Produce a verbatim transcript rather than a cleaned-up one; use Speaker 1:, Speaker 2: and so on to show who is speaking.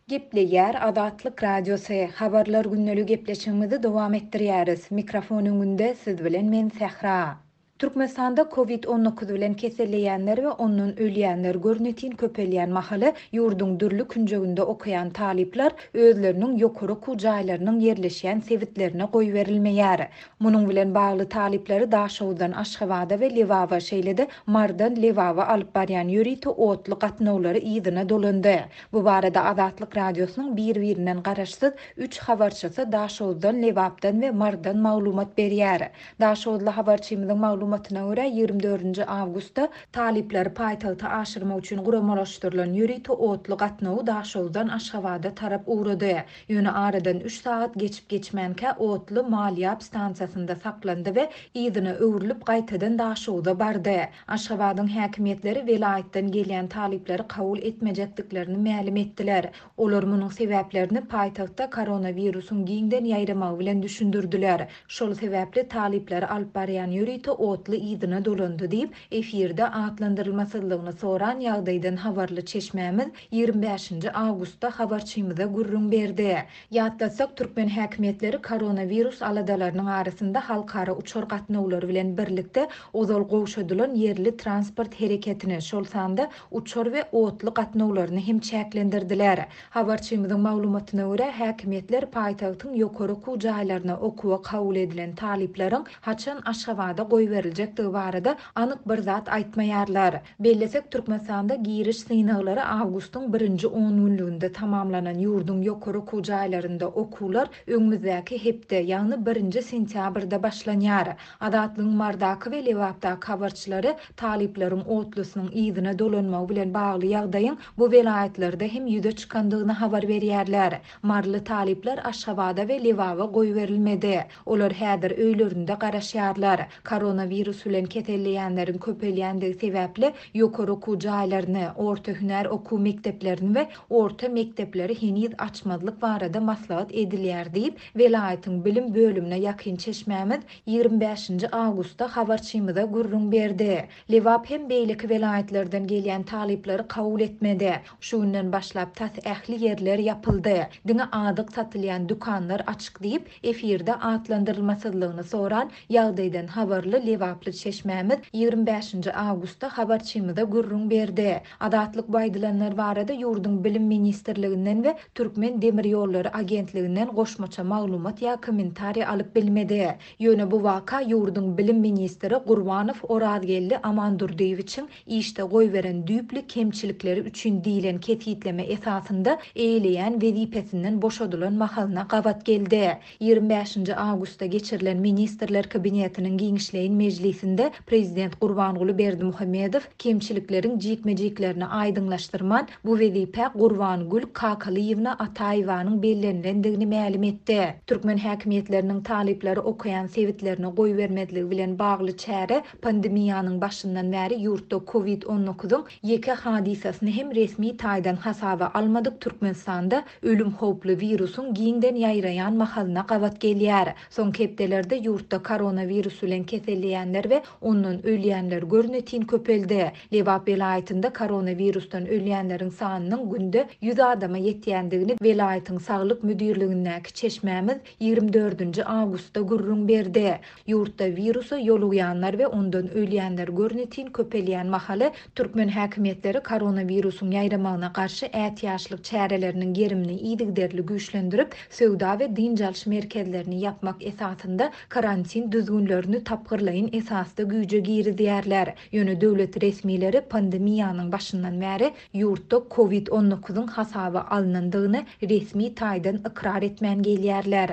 Speaker 1: Gepleýär Azatlyk Radiosy, Habarlar gündelik gepleşigimizi dowam etdirýäris. Mikrofon öňünde siz bilen men Sähra. Türkmenistanda Covid on dokuz bilen keselleýänler we ondan ölýänler görnetin köpelýän mahaly ýurduň dürli künjeginde okaýan talyplar özleriniň ýokary okuw jaýlarynyň ýerleşýän sebitlerine goýberilmeýär. Munuň bilen bagly talyplary Daşoguzdan Aşgabada we Lebaba, şeýle-de Mardan Lebaba alyp barýan ýörite otly gatnawlary yzyna dolandy. Bu barada Azatlyk Radiosynyň bir-birinden garaşsyz üç habarçysy Daşoguzdan, Lebapdan we Mardan maglumat berýär. Daşoguzly habarçymyzyň maglumatyna görä ýigrimi dördünji awgustda talyplary paýtagta aşyrmak üçin guramalaşdyrylan ýörite otly gatnawy Daşoguzdan Aşgabada tarap ugrady. Ýöne aradan üç sagat geçip geçmänkä otly Malýap stansiýasynda saklandy we yzyna öwrülip gaýtadan Daşoguza bardy. Aşgabadyň häkimiýetleri welaýatdan gelýän talyplary kabul etmejekdiklerini mälim etdiler. Olar munuň sebäplerini paýtagtda koronawirusyň giňden ýaýramagy bilen düşündirdiler. Şol sebäpli talyplary alyp barýan ýörite otly yzyna dolandy diýip, efirde atlandyrylmasyzlygyny soran ýagdaýdan habarly çeşmämiz ýigrimi bäşinji awgustda habarçymyza gürrüň berdi. Ýatlatsak, türkmen häkimiýetleri koronawirus aladalarynyň arasynda halkara uçar gatnawlary bilen birlikde ozal gowşadylan ýerli transport hereketini, şol sanda uçar we otly gatnawlaryny hem çäklendirdiler. Habarçymyzyň maglumatyna görä, häkimiýetler paýtagtyň ýokary okuw jaýlaryna okuwa kabul edilen talyplaryň haçan Aşgabada goýberiljekdigi barada anyk bir zat aýtmaýarlar. Bellesek, Türkmenistanda giriş synaglary awgustyň birinji on günlüginde tamamlanan ýurduň ýokary okuw jaýlarynda okuwlar öňümizdäki hepde, ýagny birinji sentýabrda başlanýar. Azatlygyň Mardaky we Lebapdaky habarçylary talyplaryň otlusynyň yzyna dolanmagy bilen bagly ýagdaýyň bu welaýatlarda hem ýüze çykandygyny habar berýärler. Marly talyplar Aşgabada we Lebaba goýberilmedi. Olar häzir öýlerinde garaşýarlar. Koronawirus bilen keselleýänleriň köpelýändigi sebäpli ýokary okuw jaýlaryny, orta hünär okuw mekdeplerini we orta mekdepleri heniz açmazlyk barada maslahat edilýär diýip, welaýatyň bilim bölümine ýakyn çeşmämiz ýigrimi bäşinji awgustda habarçymyza gürrüň berdi. Lebap hem beýleki welaýatlardan gelýän talyplary kabul etmedi. Şu günden başlap tas ähli ýerler ýapyldy. Diňe azyk satylýan dükanlar açyk diýip, efirde atlandyrylmasyzlygyny soran ýagdaýdan habarly Lebaply çeşmämiz ýigrimi bäşinji awgustda habarçymyza gürrüň berdi. Azatlyk bu aýdylanlar barada ýurduň Bilim Ministrliginden we Türkmen Demir Ýollary Agentliginden goşmaça maglumat ýa kommentariý alyp bilmedi. Ýöne bu waka ýurduň Bilim Ministri Gurbanow Orazgeldi Amandurdyýewiçiň işde goýberen düýpli kemçilikleri üçin diýlen kesgitleme esasynda eýleýän wezipesinden boşadylan mahalyna gabat geldi. Ýigrimi bäşinji awgustda geçirilen Ministrler Kabinetiniň giňişleýin mejlisinde Prezident Gurbanguly Berdimuhamedow kemçilikleriň jikme-jiklerini aýdyňlaşdyrman, bu wezipe Gurbangül Kakalyýewna Ataýewanyň bellenilendigini mälim etdi. Türkmen häkimiýetleriniň talyplary okaýan sebitlerine goýbermezligi bilen bagly çäre pandemiýanyň başyndan bäri ýurtda Covid on dokuzyň ýeke hadysasyny hem resmi taýdan hasaba almadyk Türkmenistanda ölüm howply wirusyň giňden ýaýraýan mahalyna gabat gelýär. Soňky hepdelerde ýurtda koronawirus bilen keselleýänler we ondan ölýänler görnetin köpeldi. Lebap welaýatynda koronawirusdan ölýänleriň sanynyň günde ýüz adama ýetýändigini welaýatyň saglyk müdirligindäki çeşmämiz ýigrimi dördünji awgustda gürrüň berdi. Ýurtda wirusa ýolugýanlar we ondan ölýänler görnetin köpelýän mahaly türkmen häkimiýetleri koronawirusyň ýaýramagyna garşy ätiýaçlyk çäreleriniň gerimini yzygiderli güýçlendirip, söwda we dynç alyş merkezlerini ýapmak esasynda karantin düzgünlerini tapgyrlaýyn esasda güýje girizýärler. Ýöne döwlet resmileri pandemiýanyň başyndan bäri ýurtda Covid on dokuzyň hasaba alynandygyny resmi taýdan ykrar etmän gelýärler.